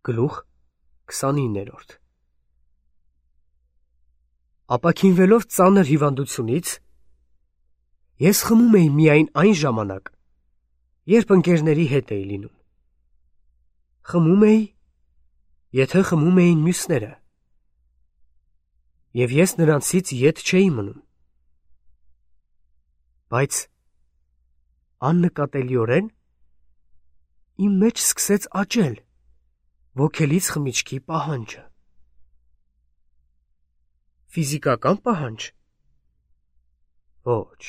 Գլուխ 29-րդ Ապաքինվելով ծանր հիվանդությունից, ես խմում էի միայն այն ժամանակ, երբ ընկերների հետ էի լինում։ Խմում էի, եթե խմում էին մյուսները, և ես նրանցից ետ չէի մնում։ Բայց աննկատելիորեն իմ մեջ սկսեց աճել ոգելից խմիչքի պահանջը։ Ֆիզիկական պահանջ։ Ոչ։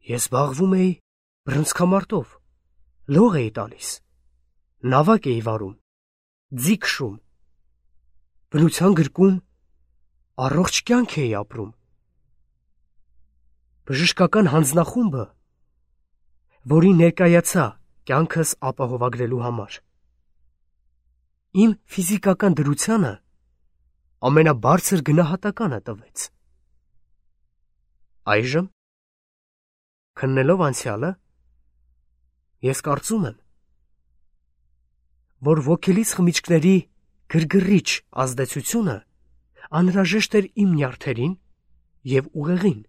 Ես զբաղվում էի բռնցքամարտով, լող էի տալիս, նավակ էի վարում, ձի քշում, բնության գրկում առողջ կյանք էի ապրում։ Բժշկական հանձնախումբը, որին ներկայացա կյանքս ապահովագրելու համար, իմ ֆիզիկական դրությանը ամենաբարձր գնահատականը տվեց։ Այժմ, քննելով անցյալը, ես կարծում եմ, որ ոգելից խմիչքների գրգռիչ ազդեցությունը անհրաժեշտ էր իմ նյարդերին և ուղեղին։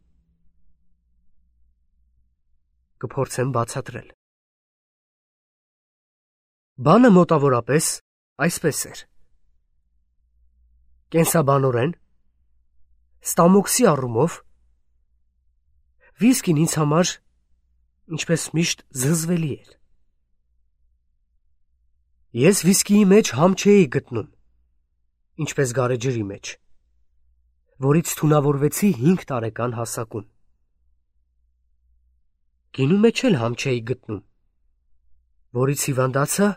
Կփորձեմ բացատրել։ Բանը մոտավորապես այսպես էր. կենսաբանորեն, ստամոքսի առումով, վիսկին ինձ համար, ինչպես միշտ, զզվելի էր։ Ես վիսկիի մեջ համ չէի գտնում, ինչպես գարեջրի մեջ, որից թունավորվեցի 5 տարեկան հասակում։ Գինու մեջ էլ համ չէի գտնում, որից հիվանդացա,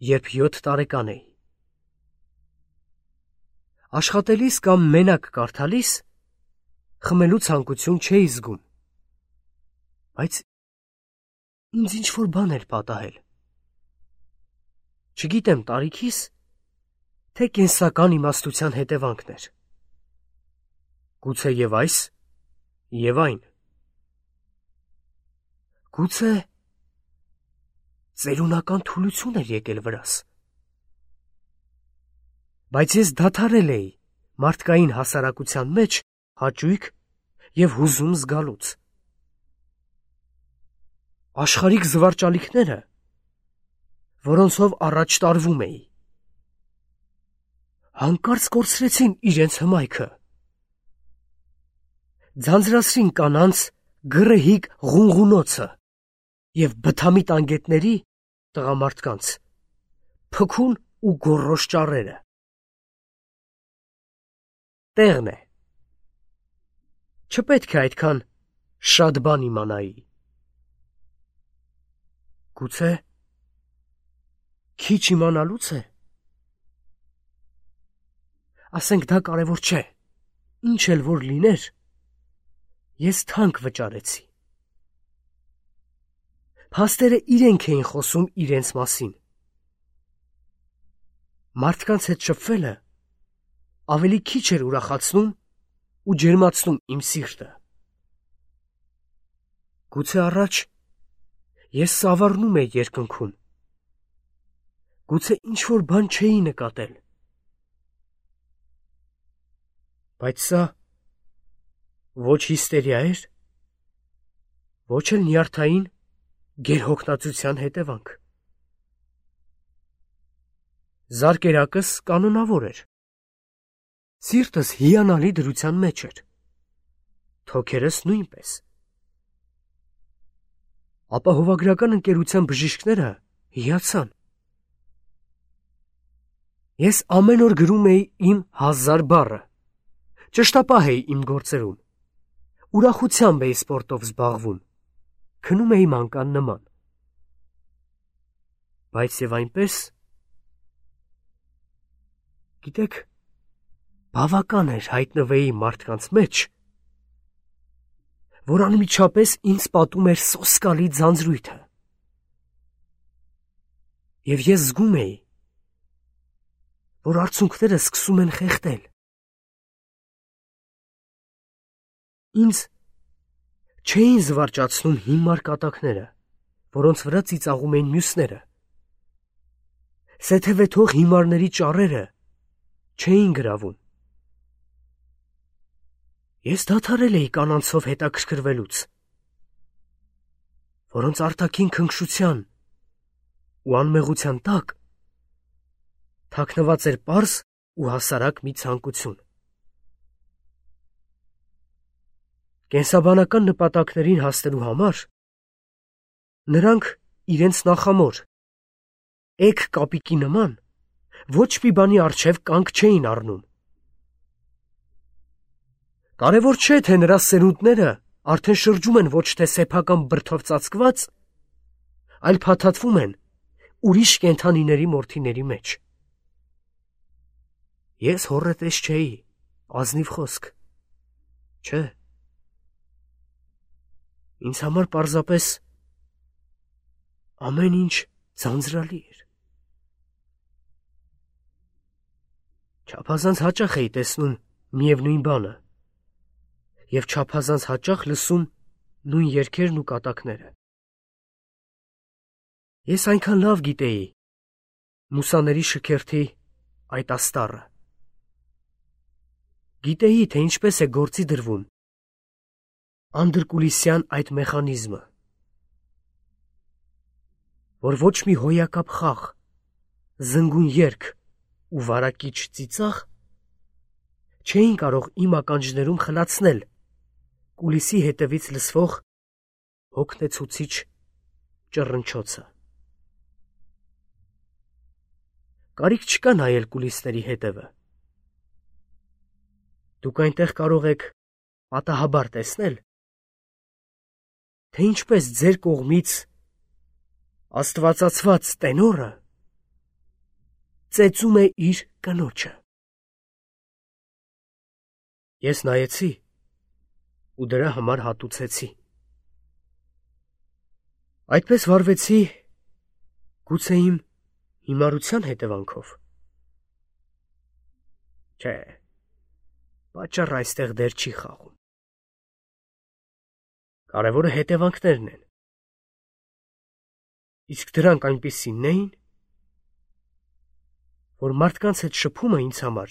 երբ 7 տարեկան էի։ Աշխատելիս կամ մենակ կարդալիս խմելու ցանկություն չէի զգում, բայց ինձ ինչ-որ բան էր պատահել։ Չգիտեմ տարիքիս, թե կենսական իմաստության հետևանքն էր։ Գուցե և այս, և այն։ Գուցե ծերունական թուլություն էր եկել վրաս։ Բայց ես դադարել էի մարդկային հասարակության մեջ հաճույք և հուզում զգալուց։ Աշխարհիկ զվարճալիքները, որոնցով առաջ տարվում էի, հանկարծ կորցրեցին իրենց հմայքը։ Ձանձրացրին կանանց գռեհիկ ղունղունոցը և բթամիտ անգետների տղամարդկանց փքուն ու գոռոզ ճառերը։ Տեղն է, չպետք է այդքան շատ բան իմանայի։ Գուցե քիչ իմանալուց է։ Ասենք դա կարևոր չէ, ինչ էլ որ լիներ, ես թանկ վճարեցի։ Փաստերը իրենք էին խոսում իրենց մասին։ Մարդկանց հետ շփվելը ավելի քիչ էր ուրախացնում ու ջերմացնում իմ սիրտը։ Գուցե առաջ ես սավառնում էի երկնքում։ Գուցե ինչ-որ բան չէի նկատել։ Բայց սա ոչ հիստերիա էր, ոչ էլ նյարդային գերհոգնածության հետևանք։ Զարկերակս կանոնավոր էր։ Սիրտս հիանալի դրության մեջ էր, թոքերս նույնպես։ Ապահովագրական ընկերության բժիշկները հիացան։ Ես ամեն օր գրում էի իմ 1000 բառը, ճշտապահ էի իմ գործերում, ուրախությամբ էի սպորտով զբաղվում, քնում էի մանկան նման։ Բայց և այնպես, գիտեք, բավական էր հայտնվեի մարդկանց մեջ, որ անմիջապես ինձ պատում էր սոսկալի ձանձրույթը։ Եվ ես զգում էի, որ արցունքները սկսում են խեղդել։ Ինձ չէին զվարճացնում հիմար կատակները, որոնց վրա ծիծաղում էին մյուսները, Սեթևեթող հիմարների ճառերը չէին գրավում։ Ես դադարել էի կանանցով հետաքրքրվելուց, որոնց արտաքին քնքշության ու անմեղության տակ թաքնված էր պարզ ու հասարակ մի ցանկություն։ Կենսաբանական նպատակներին հասնելու համար նրանք իրենց նախամոր էգ կապիկի նման ոչ մի բանի առջև կանգ չէին առնում։ Կարևոր չէ, թե նրա սերունդները արդեն շրջում են ոչ թե սեփական բրդով ծածկված, այլ փաթաթվում են ուրիշ կենդանիների մորթիների մեջ։ Ես հոռետես չէի, ազնիվ խոսք, չէ։ Ինձ համար պարզապես ամեն ինչ ձանձրալի էր։ Չափազանց հաճախ էի տեսնում միևնույն բանը և չափազանց հաճախ լսում նույն երգերն ու կատակները։ Ես այնքան լավ գիտեի մուսաների շքերթի այդ աստառը։ Գիտեի, թե ինչպես է գործի դրվում անդրկուլիսյան այդ մեխանիզմը, որ ոչ մի հոյակապ խաղ, զնգուն երգ ու վարակիչ ծիծաղ չէին կարող իմ ականջներում խլացնել կուլիսի հետևից լսվող հոգնեցուցիչ ճռնչոցը։ Կարիք չկա նայել կուլիսների հետևը։ Դուք այնտեղ կարող եք պատահաբար տեսնել, թե ինչպես ձեր կողմից աստվածացված տենորը ծեծում է իր կնոջը։ Ես նայեցի ու դրա համար հատուցեցի։ Այդպես վարվեցի գուցե իմ հիմարության հետևանքով։ Չէ, պատճառը այստեղ դեր չի խաղում։ Կարևորը հետևանքներն են։ Իսկ դրանք այնպիսինն էին, որ մարդկանց հետ շփումը ինձ համար,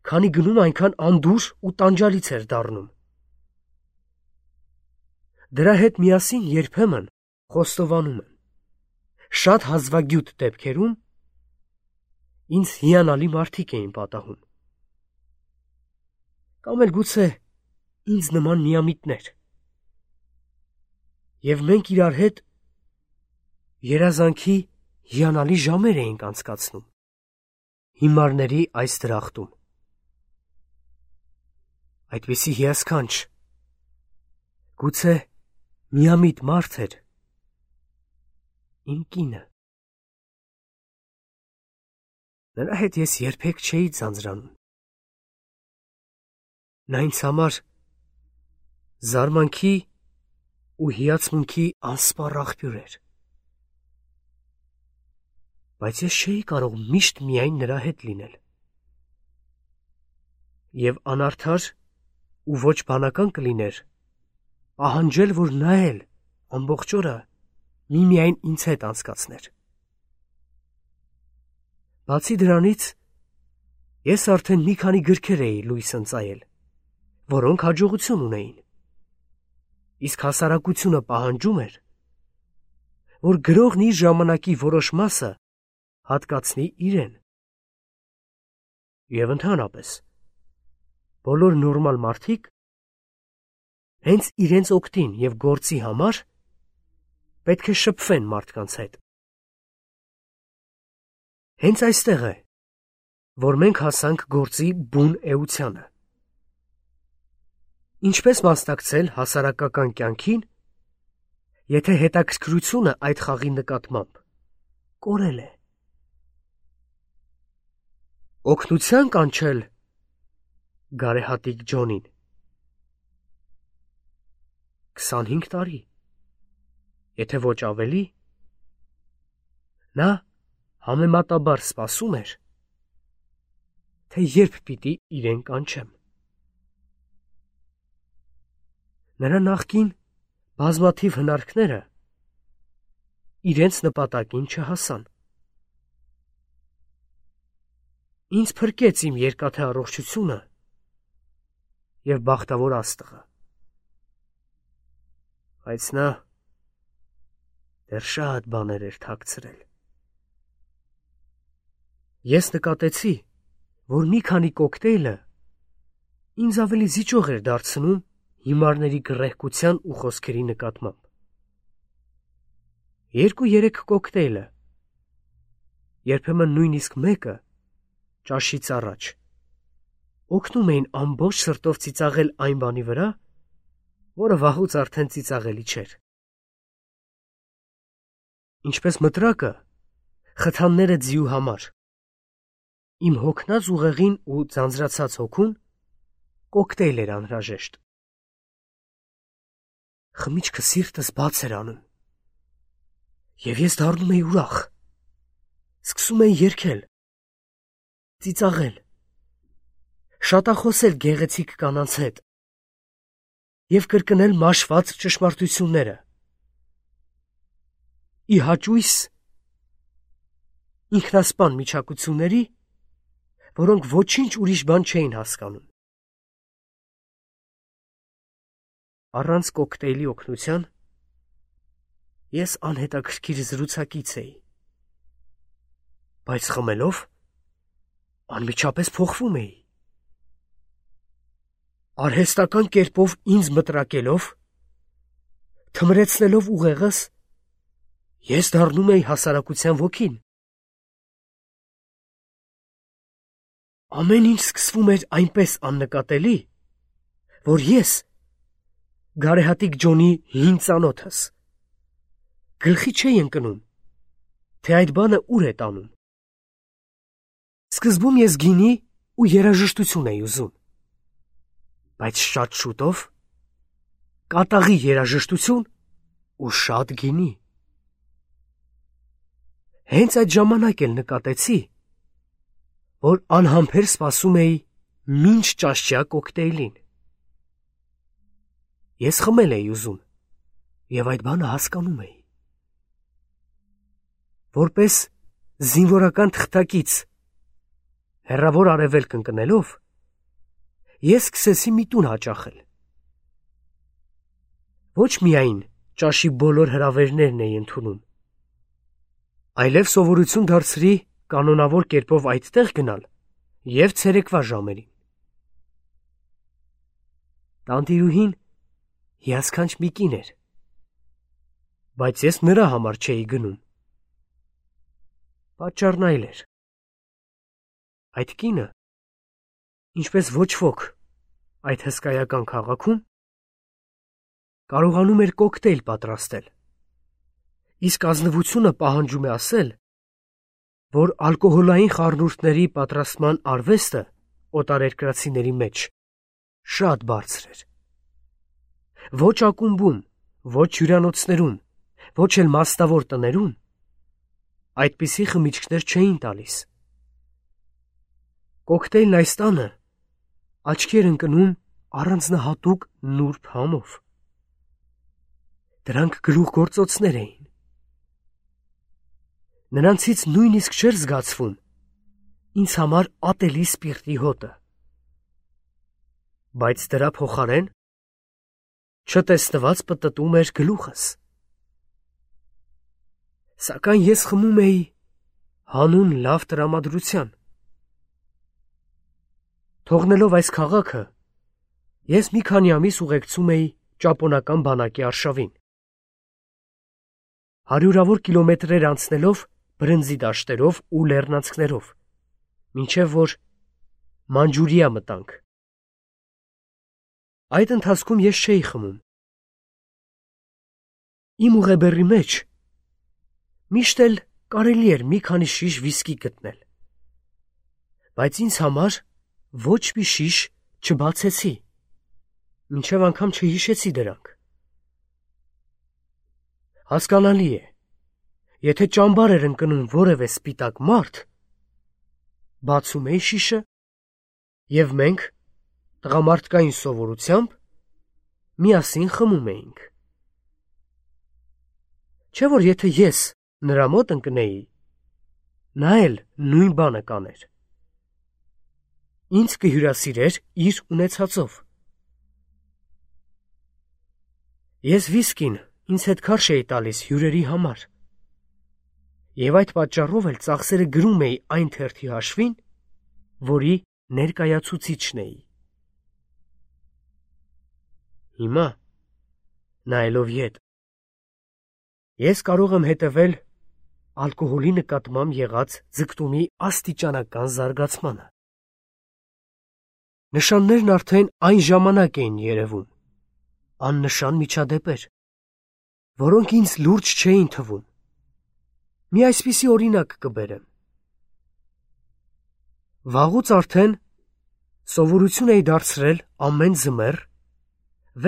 քանի գնում այնքան անդուր ու տանջալից էր դառնում։ Դրա հետ միասին երբեմն խոստովանում եմ, շատ հազվագյուտ դեպքերում ինձ հիանալի մարդիկ էին պատահում։ Կամ էլ գուցե ինձ նման միամիտներ։ Եվ մենք իրար հետ երազանքի հիանալի ժամեր էինք անցկացնում հիմարների այս դրախտում։ Այդպիսի հիասքանչ, գուցե միամիտ մարդ էր իմ կինը։ Նրա հետ ես երբեք չէի ձանձրանում։ Նա ինձ համար զարմանքի ու հիացմունքի անսպառ աղբյուր էր։ Բայց ես չէի կարող միշտ միայն նրա հետ լինել։ Եվ անարդար ու ոչ բանական կլիներ պահանջել, որ նա էլ ամբողջ օրը միմիայն ինձ հետ անցկացներ։ Բացի դրանից, ես արդեն մի քանի գրքեր էի լույս ընծայել, որոնք հաջողություն ունեին։ Իսկ հասարակությունը պահանջում էր, որ գրողն իր ժամանակի որոշ մասը հատկացնի իրեն։ Եվ ընդհանրապես, բոլոր նորմալ մարդիկ հենց իրենց օգտին և գործի համար պետք է շփվեն մարդկանց հետ։ Հենց այստեղ է, որ մենք հասանք գործի բուն էությանը։ Ինչպես մասնակցել հասարակական կյանքին, եթե հետաքրքրությունը այդ խաղի նկատմամբ կորել է։ Օգնության կանչել գարեհատիկ Ջոնին։ 25 տարի, եթե ոչ ավելի, նա համեմատաբար սպասում էր, թե երբ պիտի իրեն կանչեմ։ Նրա նախկին բազմաթիվ հնարքները իրենց նպատակին չհասան։ Ինձ փրկեց իմ երկաթե առողջությունը և բախտավոր աստղը։ Բայց նա դեռ շատ բաներ էր թաքցրել։ Ես նկատեցի, որ մի քանի կոկտեյլը ինձ ավելի զիջող էր դարձնում հիմարների գռեհկության ու խոսքերի նկատմամբ։ 2-3 կոկտեյլը, երբեմն նույնիսկ մեկը, ճաշից առաջ, օգնում էին ամբողջ սրտով ծիծաղել այն բանի վրա, որը վաղուց արդեն ծիծաղելի չէր։ Ինչպես մտրակը, խթանները ձիու համար, իմ հոգնած ուղեղին ու ձանձրացած հոգուն կոկտեյլ էր անհրաժեշտ։ Խմիչքը սիրտս բաց էր անում, և ես դառնում էի ուրախ, սկսում էի երգել, ծիծաղել, շատախոսել գեղեցիկ կանանց հետ և կրկնել մաշված ճշմարտությունները։ Ի հաճույս ինքնասպան միջակությունների, որոնք ոչինչ ուրիշ բան չէին հասկանում։ Առանց կոկտեյլի օգնության ես անհետաքրքիր զրուցակից էի, բայց խմելով անմիջապես փոխվում էի։ Արհեստական կերպով ինձ մտրակելով, թմրեցնելով ուղեղս, ես դառնում էի հասարակության ոգին։ Ամեն ինչ սկսվում էր այնպես աննկատելի, որ ես, գարեհատիկ Ջոնի հին ծանոթս, գլխի չէի ընկնում, թե այդ բանը ուր է տանում։ Սկզբում ես գինի ու երաժշտություն էի ուզում, բայց շատ շուտով կատաղի երաժշտություն ու շատ գինի։ Հենց այդ ժամանակ էլ նկատեցի, որ անհամբեր սպասում էի մինչ ճաշճյա կոկտեյլին։ Ես խմել էի ուզում և այդ բանը հասկանում էի։ Որպես զինվորական թղթակից հեռավոր արևելք ընկնելով, ես սկսեցի մի տուն հաճախել։ Ոչ միայն ճաշի բոլոր հրավերներն էի ընդունում, այլև սովորություն դարձրի կանոնավոր կերպով այդտեղ գնալ և ցերեկվա ժամերին։ Տանտիրուհին հիասքանչ մի կին էր, բայց ես նրա համար չէի գնում։ Պատճառն այլ էր։ Այդ կինը, ինչպես ոչ ոք այդ հսկայական քաղաքում, կարողանում էր կոկտեյլ պատրաստել, իսկ ազնվությունը պահանջում է ասել, որ ալկոհոլային խառնուրդների պատրաստման արվեստը օտարերկրացիների մեջ շատ բարձր էր։ Ոչ ակումբում, ոչ հյուրանոցներում, ոչ էլ մասնավոր տներում այդպիսի խմիչքներ չէին տալիս։ Կոկտեյլն այս տանը աչքի էր ընկնում առանձնահատուկ նուրբ համով։ Դրանք գլուխգործոցներ էին։ Նրանցից նույնիսկ չէր զգացվում ինձ համար ատելի սպիրտի հոտը։ Բայց դրա փոխարեն չտեսնված պտտում էր գլուխս։ Սակայն ես խմում էի հանուն լավ տրամադրության։ Թողնելով այս քաղաքը, ես մի քանի ամիս ուղեկցում էի ճապոնական բանակի արշավին։ Հարյուրավոր կիլոմետրեր անցնելով բրնձի դաշտերով ու լեռնանցքներով, մինչև որ Մանջուրիա մտանք։ Այդ ընթացքում ես չէի խմում։ Իմ ուղեբեռի մեջ միշտ էլ կարելի էր մի քանի շիշ վիսկի գտնել, բայց ինձ համար ոչ մի շիշ չբացեցի, մինչև անգամ չհիշեցի դրանք։ Հասկանալի է, եթե ճամբար էր ընկնում որևէ սպիտակ մարդ, բացում էի շիշը, և մենք տղամարդկային սովորությամբ միասին խմում էինք։ Չէ՞ որ եթե ես նրա մոտ ընկնեի, նա էլ նույն բանը կաներ։ ինձ կհյուրասիրեր իր ունեցածով։ Ես վիսկին ինձ հետ քարշ էի տալիս հյուրերի համար, և այդ պատճառով էլ ծախսերը գրում էի այն թերթի հաշվին, որի ներկայացուցիչն էի։ Հիմա, նայելով ետ, ես կարող եմ հետևել ալկոհոլի նկատմամբ եղած ձգտումի աստիճանական զարգացմանը։ Նշաններն արդեն այն ժամանակ էին երևում, աննշան միջադեպեր, որոնք ինձ լուրջ չէին թվում։ Մի այսպիսի օրինակ կբերեմ։ Վաղուց արդեն սովորություն էի դարձրել ամեն ձմեռ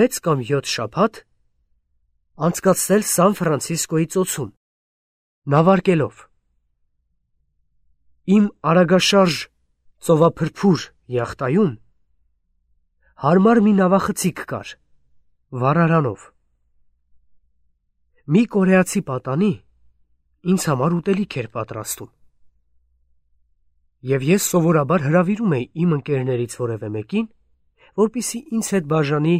6 կամ 7 շաբաթ անցկացնել Սան Ֆրանցիսկոյի ծոցում, նավարկելով։ Իմ արագաշարժ ծովափրփուր յախտայում հարմար մի նավախցիկ կար, վառարանով։ Մի կորեացի պատանի ինձ համար ուտելիք էր պատրաստում, և ես սովորաբար հրավիրում էի իմ ընկերներից որևէ մեկին, որպեսզի ինձ հետ բաժանի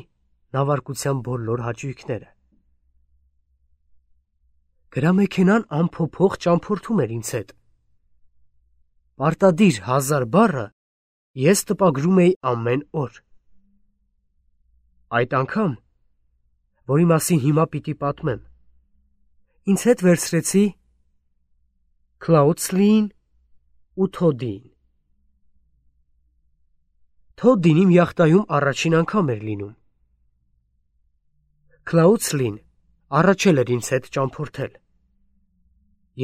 նավարկության բոլոր հաճույքները։ Գրամեքենան անփոփոխ ճամփորդում էր ինձ հետ։ Պարտադիր 1000 բառը ես տպագրում էի ամեն օր։ Այդ անգամ, որի մասին հիմա պիտի պատմեմ, ինձ հետ վերցրեցի Քլաուդսլիին ու Թոդդիին։ Թոդդին իմ յախտայում առաջին անգամ էր լինում։ Քլաուդսլին առաջել էր ինձ հետ ճամփորդել,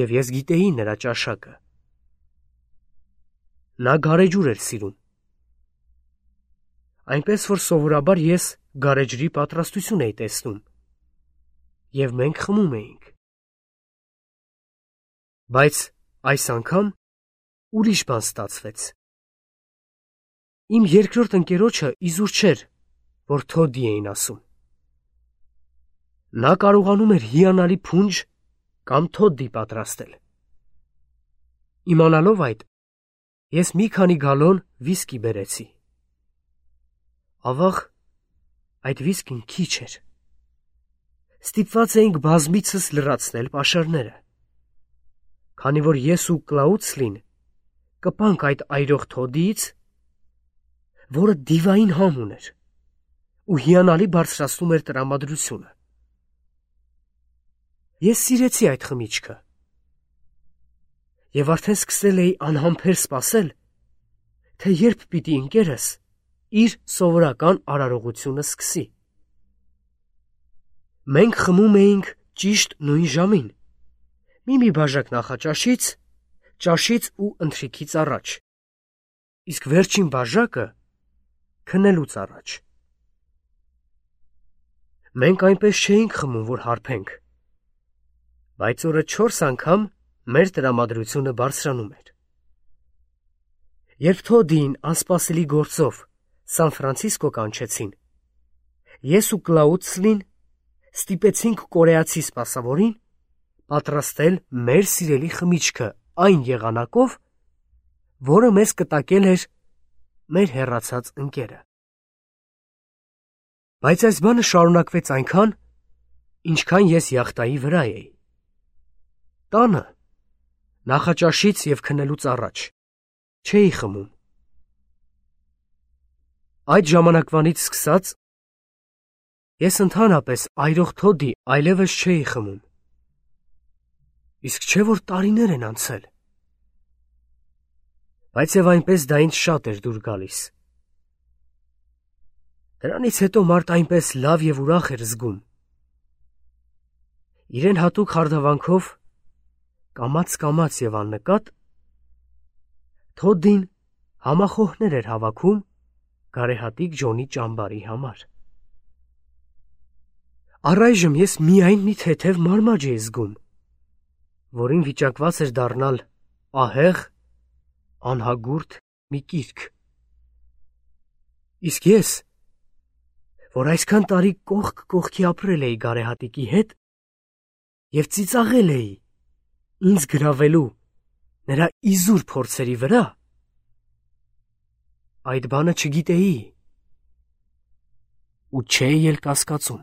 և ես գիտեի նրա ճաշակը։ Նա գարեջուր էր սիրում, այնպես որ սովորաբար ես գարեջրի պատրաստություն էի տեսնում, և մենք խմում էինք։ Բայց այս անգամ ուրիշ բան ստացվեց։ Իմ երկրորդ ընկերոջը իզուր չէր, որ Թոդդի էին ասում։ Նա կարողանում էր հիանալի փունջ կամ թոդդի պատրաստել։ Իմանալով այդ, ես մի քանի գալոն վիսկի բերեցի։ Ավաղ, այդ վիսկին քիչ էր։ Ստիպված էինք բազմիցս լրացնել պաշարները, քանի որ ես ու Կլաուդսլին կպանք այդ այրող Թոդդիից, որը դիվային համ ուներ ու հիանալի բարձրացնում էր տրամադրությունը։ Ես սիրեցի այդ խմիչքը և արդեն սկսել էի անհամբեր սպասել, թե երբ պիտի ընկերս իր սովորական արարողությունը սկսի։ Մենք խմում էինք ճիշտ նույն ժամին, մի բաժակ նախաճաշից, ճաշից ու ընթրիքից առաջ, իսկ վերջին բաժակը քնելուց առաջ։ Մենք այնպես չէինք խմում, որ հարբենք, բայց օրը 4 անգամ մեր տրամադրությունը բարձրանում էր։ Երբ Թոդդիին անսպասելի գործով Սան Ֆրանցիսկո կանչեցին, ես ու Կլաուդսլին ստիպեցինք կորեացի սպասավորին պատրաստել մեր սիրելի խմիչքը այն եղանակով, որը մեզ կտակել էր մեր հեռացած ընկերը։ Բայց այս բանը շարունակվեց այնքան, ինչքան ես յախտայի վրա էի։ Տանը, նախաճաշից և քնելուց առաջ, չէի խմում։ Այդ ժամանակվանից սկսած, ես ընդհանրապես այրող Թոդդի այլևս չէի խմում։ Իսկ չէ՞ որ տարիներ են անցել։ Բայց և այնպես դա ինձ շատ էր դուր գալիս։ Դրանից հետո մարդ այնպես լավ և ուրախ էր զգում։ Իրեն հատուկ հարդարանքով, կամաց և աննկատ, Թոդդին համախոհներ էր հավաքում գարեհատիկ Ջոնի ճամբարի համար։ Առայժմ ես միայն մի թեթև մարմաջ էի զգում, որին վիճակված էր դառնալ ահեղ, անհագուրդ մի կիրք։ Իսկ ես, որ այսքան տարի կողք կողքի ապրել էի գարեհատիկի հետ և ծիծաղել էի ինձ գրավելու նրա իզուր փորձերի վրա, Այդ բանը չգիտեի։ Ու չէի էլ կասկածում։